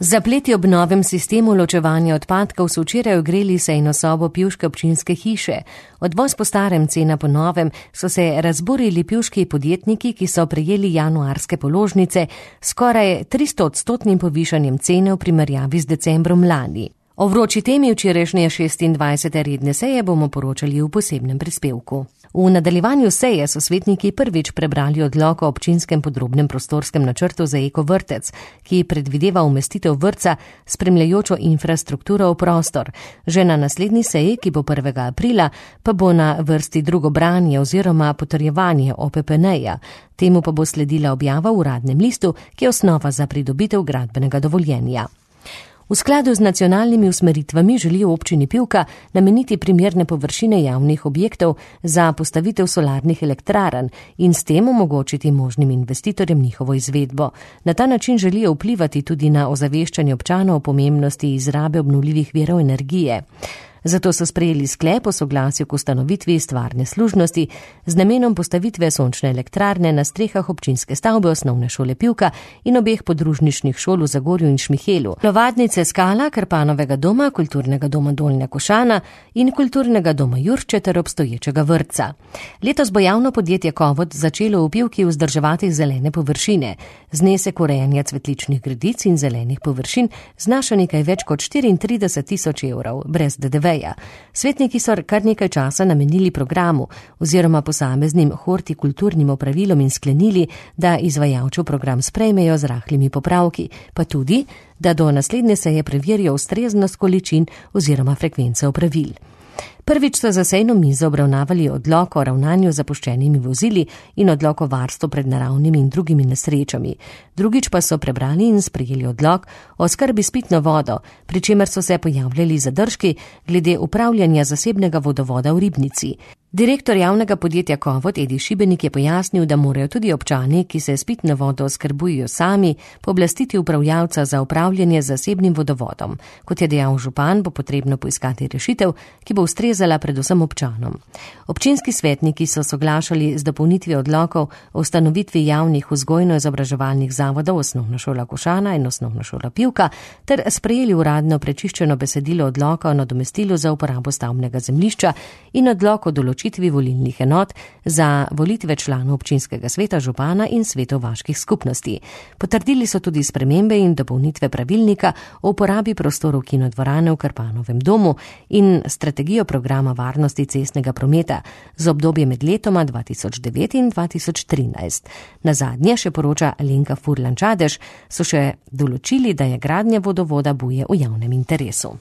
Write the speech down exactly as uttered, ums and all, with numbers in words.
Zapleti ob novem sistemu ločevanja odpadkov so včeraj ogreli sejno sobo pivške občinske hiše. Odvoz po starem, cena po novem, so se razburili pivški podjetniki, ki so prejeli januarske položnice s skoraj tristo odstotnim povišanjem cene v primerjavi z decembrom lani. O vroči temi včerajšnje šestindvajsete redne seje bomo poročali v posebnem prispevku. V nadaljevanju seje so svetniki prvič prebrali odlok o občinskem podrobnem prostorskem načrtu za eko vrtec, ki predvideva umestitev vrtca s spremljajočo infrastrukturo v prostor. Že na naslednji seji, ki bo prvega aprila, pa bo na vrsti drugo branje oziroma potrjevanje O P P N-ja. Temu pa bo sledila objava v uradnem listu, ki je osnova za pridobitev gradbenega dovoljenja. V skladu z nacionalnimi usmeritvami želijo občini Pivka nameniti primerne površine javnih objektov za postavitev solarnih elektrarn in s tem omogočiti možnim investitorjem njihovo izvedbo. Na ta način želijo vplivati tudi na ozaveščanje občanov o pomembnosti izrabe obnovljivih virov energije. Zato so sprejeli sklep o soglasju k ustanovitvi stvarne služnosti z namenom postavitve sončne elektrarne na strehah občinske stavbe osnovne šole Pivka in obeh podružničnih šol v Zagorju in Šmihelu, Lovadnice Skala, Krpanovega doma, kulturnega doma Dolnja Košana in kulturnega doma Jurče ter obstoječega vrtca. Letos bo javno podjetje Kovod začelo v Pivki vzdrževati zelene površine. Znesek urejanja cvetličnih gredic in zelenih površin znaša nekaj več kot štiriintrideset tisoč evrov, brez D D V. Svetniki so kar nekaj časa namenili programu oziroma posameznim hortikulturnim opravilom in sklenili, da izvajalčev program sprejmejo z rahlimi popravki, pa tudi, da do naslednje seje preverijo ustreznost količin oziroma frekvence opravil. Prvič so za sejno mizo obravnavali odlok o ravnanju z zapuščenimi vozili in odlok o varstvu pred naravnimi in drugimi nesrečami. Drugič pa so prebrali in sprejeli odlok o skrbi s pitno vodo, pri čemer so se pojavljali zadržki glede upravljanja zasebnega vodovoda v Ribnici. Direktor javnega podjetja Kovod Edi Šibenik je pojasnil, da morajo tudi občani, ki se s pitno vodo oskrbujejo sami, pooblastiti upravljavca za upravljanje z zasebnim vodovodom. Kot je dejal župan, bo potrebno poiskati rešitev, ki bo ustrezala predvsem občanom. Občinski svetniki so soglašali z dopolnitvijo odlokov o ustanovitvi javnih vzgojno-izobraževalnih zavodov Osnovna šola Košana in Osnovna šola Pivka ter sprejeli uradno prečiščeno besedilo odloka o nadomestilu za uporabo stavbnega zemljišča in odlok o določitvi volilnih enot za volitve članov občinskega sveta, župana in svetov vaških skupnosti. Potrdili so tudi spremembe in dopolnitve pravilnika o uporabi prostorov kinodvorane v Krpanovem domu in strategijo programa varnosti cestnega prometa z obdobje med letoma dva tisoč devet in dva tisoč trinajst. Nazadnje, še poroča Alenka Furlan Čadež, so še določili, da je gradnja vodovoda Buje v javnem interesu.